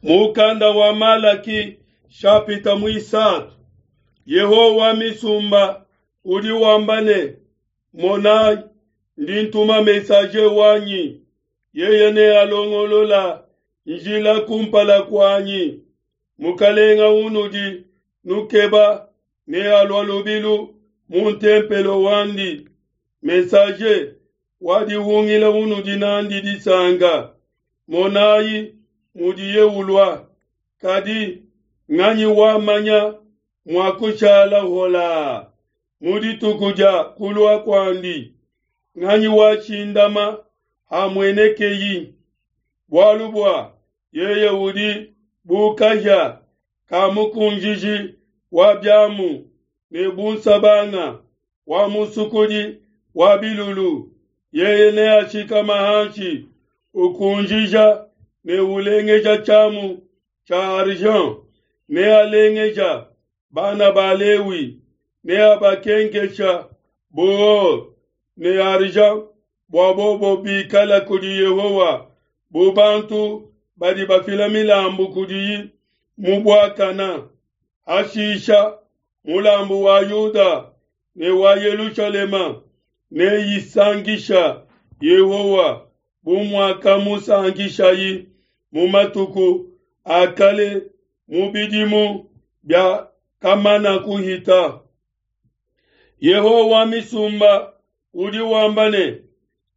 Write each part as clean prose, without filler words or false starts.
Mukanda wa Malaki shapita muisatu. Yehowa wa misumba udi wamba ne, Monayi, ndi ntuma messager wanyi, yeye nealongolola njila kumpala kuanyi. Mukalenga unudi nukeba nealua lubilu mu ntempelo wandi. Messager wa dihungila unudi nandi disanka, monayi mudiye ulua. Kadi nganyi wamanya mua kushala holaa mu dituku dia kulua kuandi? Nganyi washindama hamuenekeyi? Bualu bua yeye udi bu kahia ka mukunjiji wa biamu ne bu nsabanga wa musukudi wa bilulu. Yeye neashikama hanshi ukunjija ne ulengeja tshiamu tshia argent, nealengeja bana ba Lewi, neabakenkesha bu or ne argent bua bobo bikala kudi Yehowa bu bantu badi bafila milambu kudiyi mu buakana. Hashisha mulambu wa Yuda ne wa Yelushalema neyisankisha Yehowa bu muakamusankishayi mu matuku a kale mu bidimu bia kamana kuhita. Yehowa wa misumba udi wamba ne,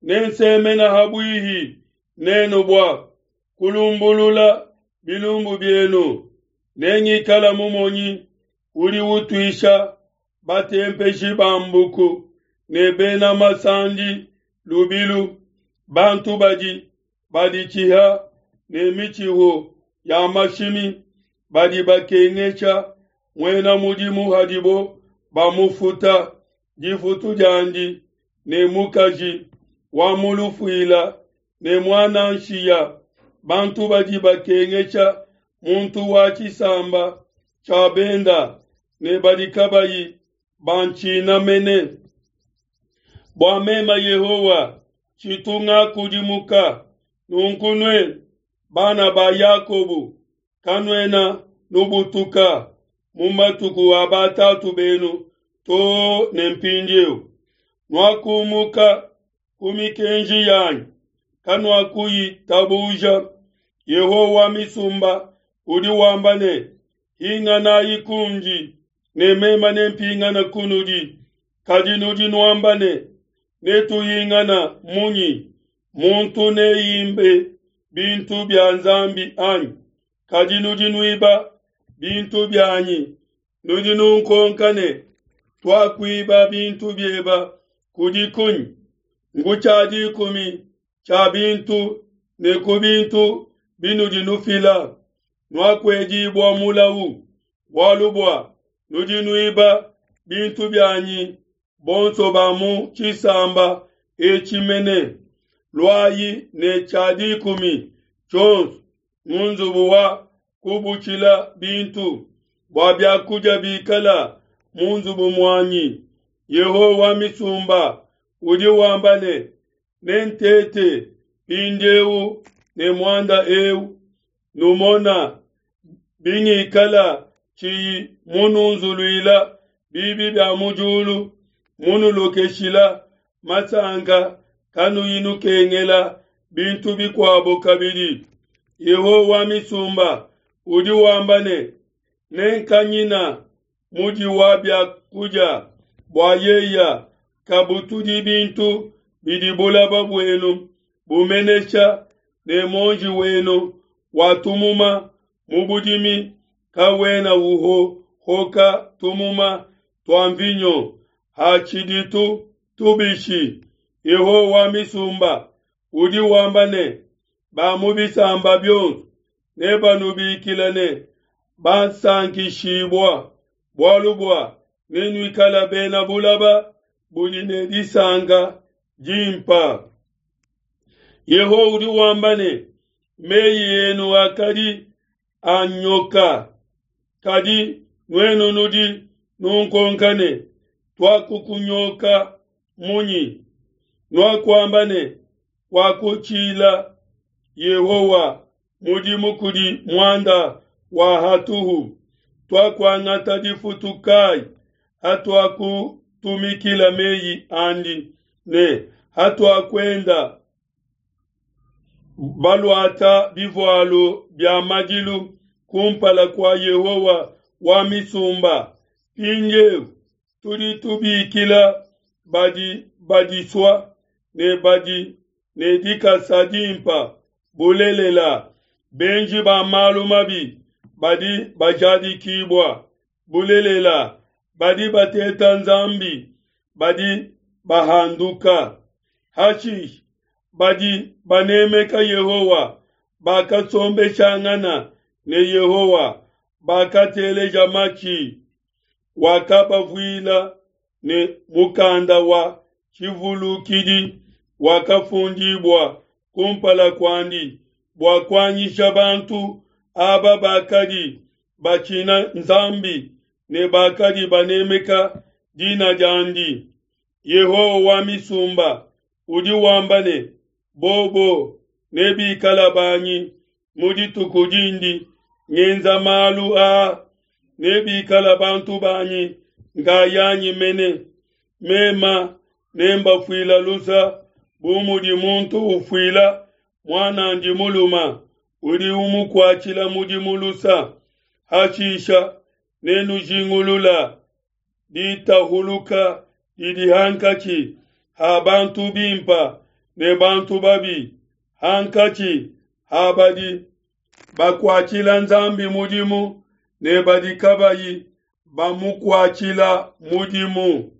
Nensemena ha buihi nenu bua kulumbulula bilumbu bienu, nengikala mumonyi udi utuisha batempeshi ba mbuku ne bena masandi lubilu, bantu badi baditshiha ne mitshihu ya mashimi, badi bakengesha muena mudimu hadibo bamufuta difutu diandi, ne mukaji wa mu lufuila ne muana nshiya, bantu badi bakengesha muntu wa tshisamba tshia benda ne badi kabayi bantshina mene. Bua mema Yehowa tshitu ngakudimuka, nunku nuenu bana ba Yakobo kanuena nubutuka mu matuku a batatu benu too ne mpindieu. Nuakumuka ku mikenji yanyi, kanuakuyitabuja. Yehowa wa misumba udi wamba ne, Hinganayi kundi, ne meme nempingane kunudi. Kadi nudi nuamba ne, Netuhingana munyi? Muntu neimbe bintu bia Nzambi anyi? Kadi nudi nuiba bintu bianyi. Nudi nunkonka ne, Tuakuiba bintu bieba kudi kunyi? Ngu tshia dikumi tshia bintu ne ku bintu binudi nufila. Nuakuedibua mulau, bualu bua nudi nuiba bintu bianyi bonso ba mu tshisamba etshi mene. Luayi ne tshia dikumi tshionso mu nzubu wa kubutshila bintu, bua biakudia bikala mu nzubu muanyi. Yehowa wa misumba udi wamba ne, Nentete mpindieu ne muanda eu, numona bingikala tshiyi mununzuluila bibi bia mu diulu, munulokeshila masanka kanuyi nukengela bintu bikuabo kabidi. Yehowa wa misumba udi wamba ne, Nenkanyina mudi wa bia kudia bua yeya kabutudi bintu bidi bulaba buenu bumenesha ne muonji wenu wa tumuma mu budimi kawena uhohoka tumuma tua mvinyo hatshiditu tubishi. Yehowa wa misumba udi wamba ne, Ba mu bisamba bionso nebanubikile ne, Basankishibua, bualu bua nenuikala bena bulaba budi ne disanka dimpa. Yehowa udi wamba ne, Meyi enu akadi anyoka, kadi nuenu nudi nunkonka ne, Tuakukunyoka munyi? Nuakuamba ne, Kuakutshila Yehowa. mudimu kudi muanda wa hatuhu, tuakuangata difutu kai hatuakutumikila meyi andi ne hatuakuenda baluata bivualu bia madilu kumpala kua Yehowa wa misumba? Mpindieu tudi tubikila badi badisua ne badi ne dikasa dimpa. Bulelela, benji ba malu mabi badi bajadikibua. Bulelela, badi bateta Nzambi badi bahanduka. Hashishe, badi banemeka Yehowa bakasombeshangana ne Yehowa, bakateleja matshi. Wakabavuila ne mukanda wa tshivulukidi wakafundibua kumpala kuandi bua kuanyisha bantu aba bakadi batshina Nzambi ne bakadi banemeka dina diandi. Yehowa wa misumba udi wamba ne, Bobo nebikala banyi mu dituku dindi ngenza malu aa, nebikala bantu banyi nkayanyi mene. Mema nembafuila lusa bu mudi muntu ufuila muan'andi mulume udi umukuatshila mudimu lusa. Hashisha nenujingulula ditahuluka didi hankatshi ha bantu bimpa ne bantu babi, hankatshi ha badi bakuatshila Nzambi mudimu ne badi kabayi bamukuatshila mudimu.